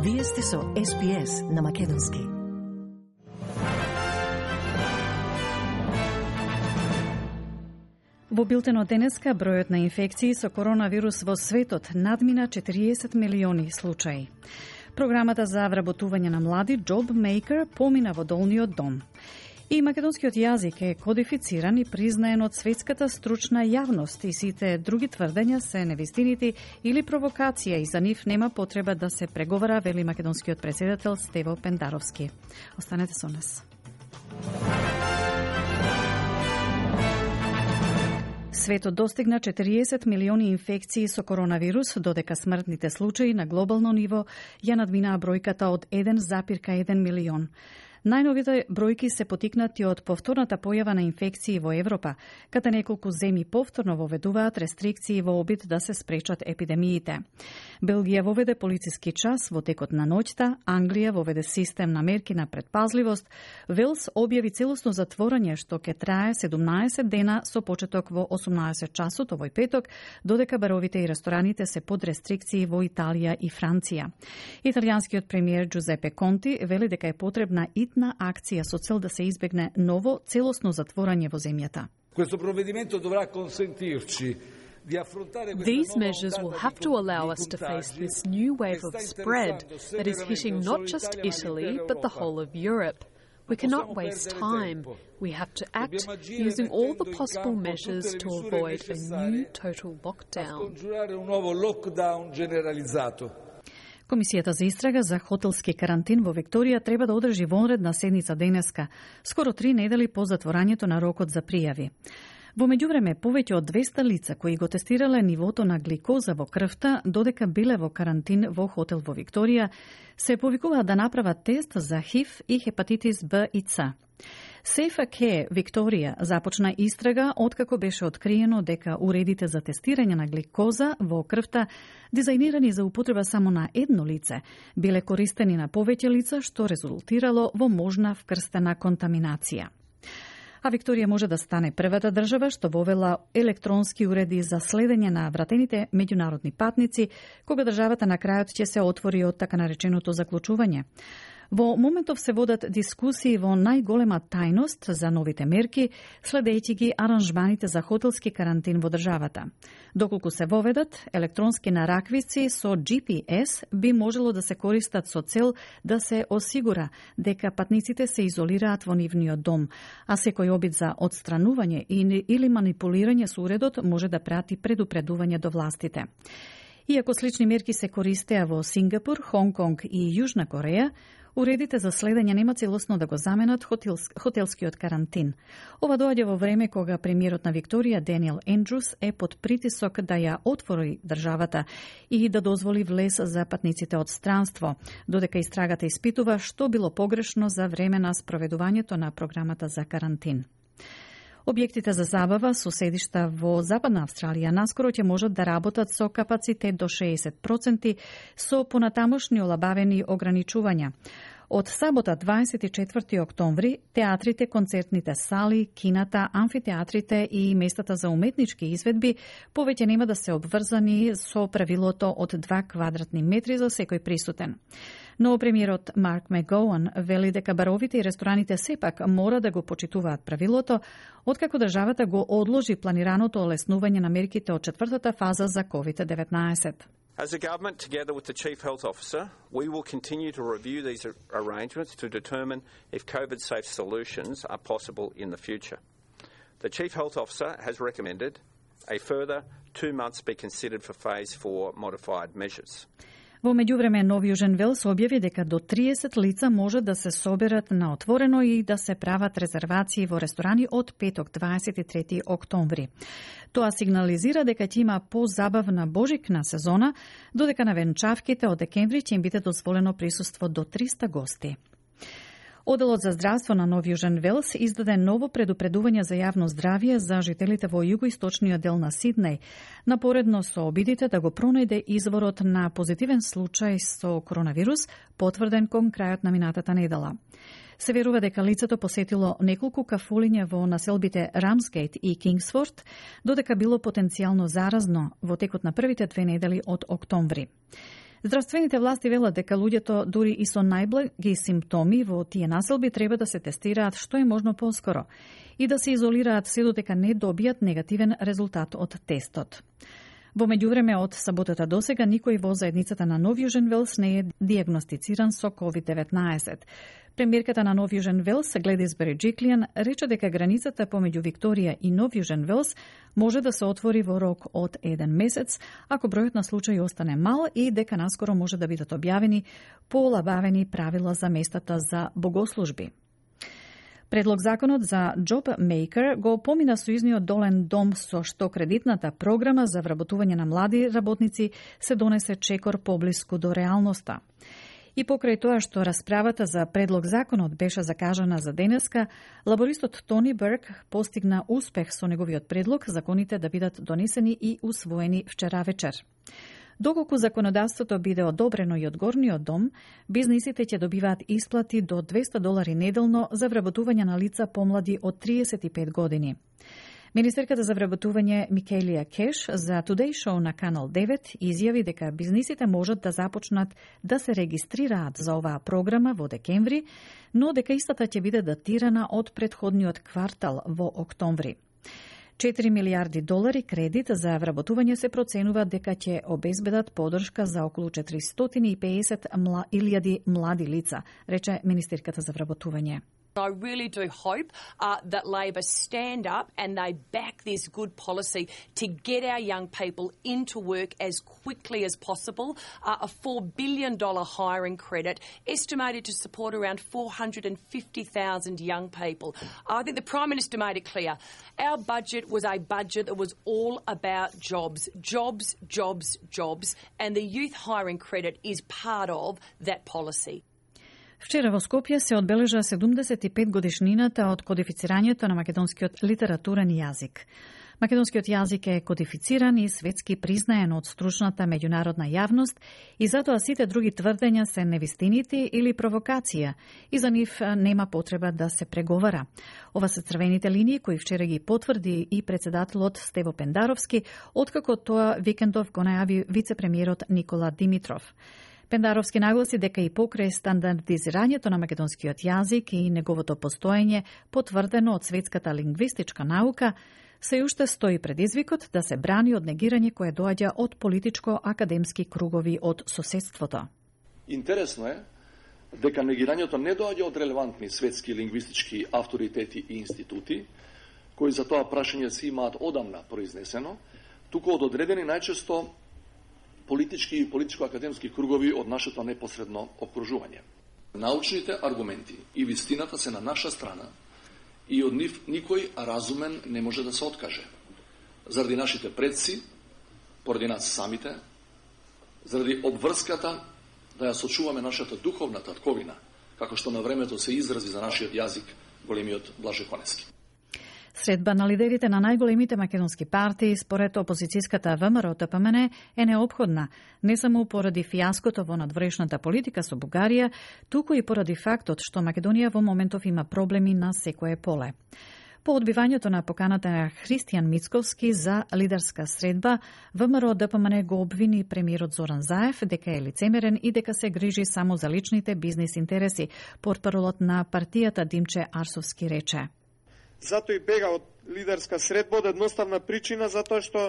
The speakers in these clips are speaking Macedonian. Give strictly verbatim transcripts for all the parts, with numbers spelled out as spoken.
Вие сте со Ес Би Ес на Македонски. Во билтенот денеска бројот на инфекции со коронавирус во светот надмина четириесет милиони случаи. Програмата за вработување на млади Job Maker помина во долниот дом. И македонскиот јазик е кодифициран и признаен од светската стручна јавност и сите други тврдења се невистините или провокација и за нив нема потреба да се преговара, вели македонскиот претседател Стево Пендаровски. Останете со нас. Светот достигна четириесет милиони инфекции со коронавирус, додека смртните случаи на глобално ниво ја надминаа бројката од еден зарез еден милион. Најновите бројки се потикнати од повторната појава на инфекции во Европа, каде неколку земји повторно воведуваат рестрикции во обид да се спречат епидемиите. Белгија воведе полициски час во текот на ноќта, Англија воведе систем на мерки на предпазливост, Велс објави целосно затворање што ќе трае седумнаесет дена со почеток во осумнаесет часот овој петок, додека баровите и рестораните се под рестрикции во Италија и Франција. Италијанскиот премиер Джузепе Конти вели дека е потребна итна на акција со цел да се избегне ново целосно затворање во земјата. These measures will have to allow us to face this new wave of spread that is hitting not just Italy, but the whole of Europe. We cannot waste time. We have to act using all the possible measures to avoid a new total lockdown. Комисијата за истрага за хотелски карантин во Викторија треба да одржи вонредна седница денеска, скоро три недели по затворањето на рокот за пријави. Во меѓувреме, повеќе од двесте лица кои го тестирале нивото на гликоза во крвта, додека биле во карантин во хотел во Викторија, се повикуваат да направат тест за ХИВ и хепатитис Б и Ц. Safe Care Викторија започна истрага откако беше откриено дека уредите за тестирање на гликоза во крвта, дизајнирани за употреба само на едно лице, биле користени на повеќе лица, што резултирало во можна вкрстена контаминација. А Викторија може да стане првата држава што вовела електронски уреди за следење на вратените меѓународни патници, кога државата на крајот ќе се отвори од така нареченото заклучување. Во моментов се водат дискусии во најголема тајност за новите мерки, следејќи ги аранжманите за хотелски карантин во државата. Доколку се воведат, електронски нараквици со Джи Пи Ес би можело да се користат со цел да се осигура дека патниците се изолираат во нивниот дом, а секој обид за отстранување или манипулирање со уредот може да прати предупредување до властите. Иако слични мерки се користеа во Сингапур, Хонг Конг и Јужна Кореја, уредите за следење нема целосно да го заменат хотелс, хотелскиот карантин. Ова доаѓа во време кога премиерот на Викторија Даниел Ендрус е под притисок да ја отвори државата и да дозволи влез за патниците од странство, додека истрагата испитува што било погрешно за време на спроведувањето на програмата за карантин. Објектите за забава со седишта во Западна Австралија наскоро ќе можат да работат со капацитет до шеесет проценти со понатамошни олабавени ограничувања. Од сабота дваесет и четврти октомври, театрите, концертните сали, кината, амфитеатрите и местата за уметнички изведби повеќе нема да се обврзани со правилото од два квадратни метри за секој присутен. Но премиерот Марк Мегоуан вели дека баровите и рестораните сепак мора да го почитуваат правилото, откако државата го одложи планираното олеснување на мерките од четвртата фаза за ковид деветнаесет. As a government, together with the Chief Health Officer, we will continue to review these arrangements to determine if COVID-safe solutions are possible in the future. The Chief Health Officer has recommended a further two months be considered for Phase four modified measures. Во меѓувреме, Нов Јужен Велс објави дека до триесет лица може да се соберат на отворено и да се прават резервации во ресторани од петок дваесет и трети октомври. Тоа сигнализира дека ќе има позабавна божикна сезона, додека на венчавките од декември ќе им биде дозволено присуство до триста гости. Оделот за здравство на Нов Јужен Велс издаде ново предупредување за јавно здравје за жителите во југоисточниот дел на Сиднеј, напоредно со обидите да го пронајде изворот на позитивен случај со коронавирус, потврден кон крајот на минатата недела. Се верува дека лицето посетило неколку кафулиња во населбите Рамсгејт и Кингсфорд, додека било потенцијално заразно во текот на првите две недели од октомври. Здравствените власти велат дека луѓето дури и со најблаги симптоми во тие населби треба да се тестираат што е можно поскоро и да се изолираат се додека не добијат негативен резултат од тестот. Во меѓувреме, од саботата досега никој во заедницата на Нов Јужен Велс не е дијагностициран со ковид деветнаесет. Премиерката на Нов Јужен Велс, Гледис Береджиклијан, рече дека границата помеѓу Викторија и Нов Јужен Велс може да се отвори во рок од еден месец, ако бројот на случаи остане мал и дека наскоро може да бидат објавени поолабавени правила за местата за богослужби. Предлог законот за Job Maker го помина сојузниот долен дом со што кредитната програма за вработување на млади работници се донесе чекор поблиску до реалноста. И покрај тоа што расправата за предлог законот беше закажана за денеска, лабористот Тони Берг постигна успех со неговиот предлог законите да бидат донесени и усвоени вчера вечер. Доколку законодавството биде одобрено и од горниот дом, бизнисите ќе добиваат исплати до двесте долари неделно за вработување на лица помлади од триесет и пет години. Министерката за вработување Микелија Кеш за Today Show на Канал девет изјави дека бизнисите можат да започнат да се регистрираат за оваа програма во декември, но дека истата ќе биде датирана од претходниот квартал во октомври. четири милиарди долари кредит за вработување се проценува дека ќе обезбедат подршка за околу четиристотини и педесет илјади млади лица, рече министерката за вработување. I really do hope uh, that Labor stand up and they back this good policy to get our young people into work as quickly as possible. Uh, a four billion dollars hiring credit estimated to support around four hundred fifty thousand young people. I think the Prime Minister made it clear. Our budget was a budget that was all about jobs, jobs, jobs, jobs, and the youth hiring credit is part of that policy. Вчера во Скопје се одбележа седумдесет и пет годишнината од кодифицирањето на македонскиот литературен јазик. Македонскиот јазик е кодифициран и светски признаен од стручната меѓународна јавност и затоа сите други тврдења се невистинити или провокација и за нив нема потреба да се преговара. Ова се црвените линии кои вчера ги потврди и председателот Стево Пендаровски, откако тоа викендов го најави вице-премиерот Никола Димитров. Пендаровски нагласи дека и покрај стандардизирањето на македонскиот јазик и неговото постоење потврдено од светската лингвистичка наука, се уште стои предизвикот да се брани од негирање кое доаѓа од политичко-академски кругови од соседството. Интересно е дека негирањето не доаѓа од релевантни светски лингвистички авторитети и институти, кои за тоа прашање си имаат одамна произнесено, туку од одредени најчесто политички и политичко-академски кругови од нашето непосредно окружување. Научните аргументи и вистината се на наша страна и од нив никој разумен не може да се откаже. Заради нашите предци, поради нас самите, заради обврската да ја сочуваме нашата духовна татковина, како што на времето се изрази за нашиот јазик големиот Блаже Конески. Средба на лидерите на најголемите македонски партии според опозицијската ВМРО-ТПМН е неопходна, не само поради фијаското во надворешната политика со Бугарија, туку и поради фактот што Македонија во моментов има проблеми на секое поле. По одбивањето на поканата на Христијан Мицковски за лидерска средба, ВМРО-ДПМН го обвини премиерот Зоран Заев дека е лицемерен и дека се грижи само за личните бизнис интереси, портпаролот на партијата Димче Арсовски рече. Зато и бега од лидерска средба од едноставна причина, затоа што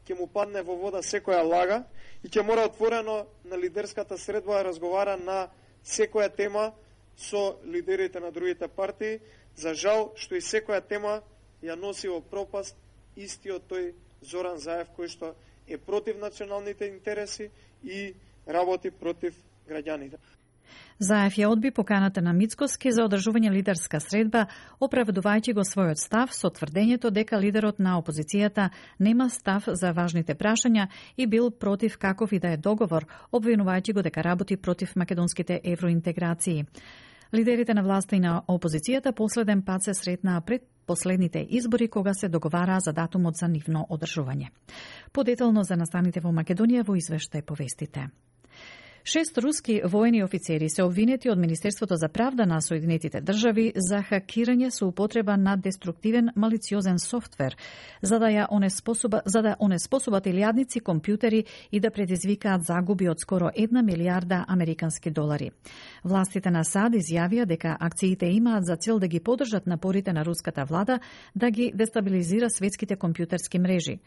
ќе му падне во вода секоја лага и ќе мора отворено на лидерската средба да разговара на секоја тема со лидерите на другите партии. За жал што и секоја тема ја носи во пропаст истиот тој Зоран Заев, кој што е против националните интереси и работи против граѓаните. Заев ја одби поканата на Мицковски за одржување лидерска средба, оправдувајќи го својот став со тврдењето дека лидерот на опозицијата нема став за важните прашања и бил против каков и да е договор, обвинувајќи го дека работи против македонските евроинтеграции. Лидерите на власта и на опозицијата последен пат се сретнаа пред последните избори кога се договараа за датумот за нивно одржување. Подетално за настаните во Македонија во извештај повестите. Шест руски воени офицери се обвинети од Министерството за правда на Соединетите држави за хакирање со употреба на деструктивен малициозен софтвер, за да ја онеспособа, за да онеспособат илјадници компјутери и да предизвикаат загуби од скоро една милијарда американски долари. Властите на САД изјавија дека акциите имаат за цел да ги подржат напорите на руската влада да ги дестабилизира светските компјутерски мрежи.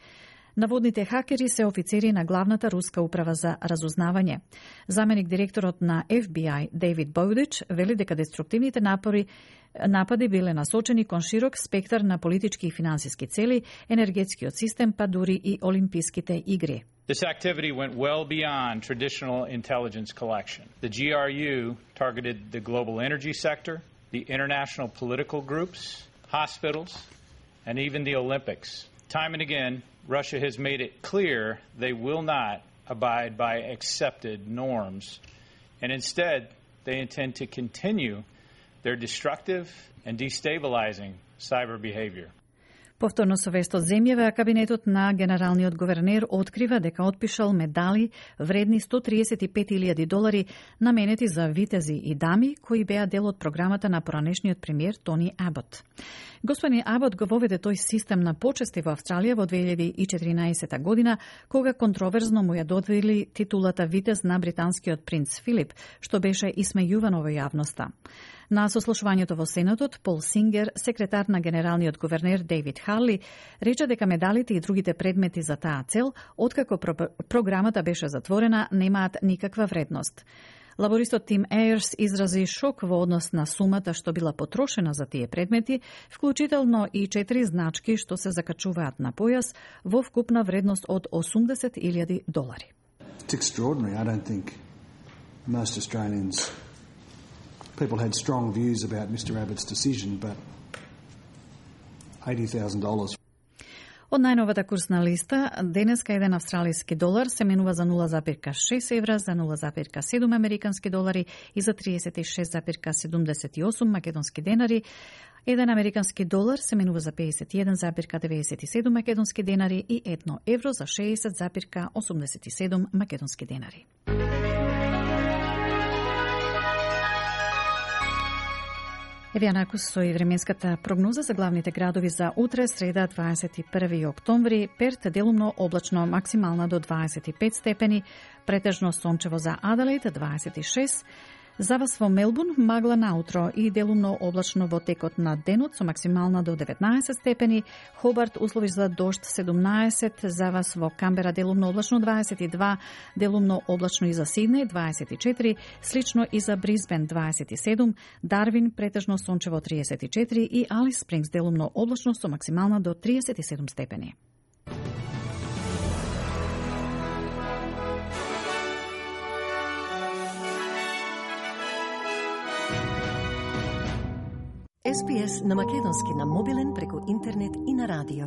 Наводните хакери се офицери на главната руска управа за разузнавање. Заменик директорот на Еф Би Ај Дейвид Боудич вели дека деструктивните напори напади биле насочени кон широк спектар на политички и финансиски цели, енергетскиот систем, па дури и олимписките игри. This activity went well beyond traditional intelligence collection. The G R U targeted the global energy sector, the international political groups, hospitals, and even the Olympics. Time and again, Russia has made it clear they will not abide by accepted norms, and instead they intend to continue their destructive and destabilizing cyber behavior. Повторно со вест од земјава, кабинетот на генералниот гувернер открива дека отпишал медали вредни сто триесет и пет илјади долари наменети за витези и дами кои беа дел од програмата на поранешниот премиер Тони Абот. Господин Абот го воведе тој систем на почести во Австралија во две илјади и четиринаесета година, кога контроверзно му ја додели титулата витез на британскиот принц Филип, што беше исмејувано во јавноста. На сослушувањето во Сенатот, Пол Сингер, секретар на генералниот гувернер Дейвид Харли, рече дека медалите и другите предмети за таа цел, откако про програмата беше затворена, немаат никаква вредност. Лабористот Тим Ејерс изрази шок во однос на сумата што била потрошена за тие предмети, вклучително и четири значки што се закачуваат на појас во вкупна вредност од осумдесет илјади долари. It's extraordinary. I don't think most Australians people had strong views about Mister Abbott's decision, but eighty thousand dollars. Од најновата курсна листа, денеска еден австралиски долар се менува за нула запирка шест евра, за нула запирка седум американски долари и за триесет и шест запирка седумдесет и осум македонски денари. Еден американски долар се менува за пеесет и еден запирка деведесет и седум македонски денари и едно евро за шеесет запирка осумдесет и седум македонски денари. Еве накус со и временската прогноза за главните градови за утре, среда, дваесет и први октомври. Перт делумно облачно, максимална до дваесет и пет степени, претежно сончево за Аделаид, дваесет и шест. За вас во Мелбурн магла наутро и делумно облачно во текот на денот со максимална до деветнаесет степени. Хобарт услови за дожд седумнаесет, за вас во Камбера делумно облачно дваесет и два, делумно облачно и за Сиднеј дваесет и четири, слично и за Брисбен дваесет и седум, Дарвин претежно сончево триесет и четири и Алис Спрингс делумно облачно со максимална до триесет и седум степени. Ес Би Ес на македонски на мобилен преку интернет и на радио.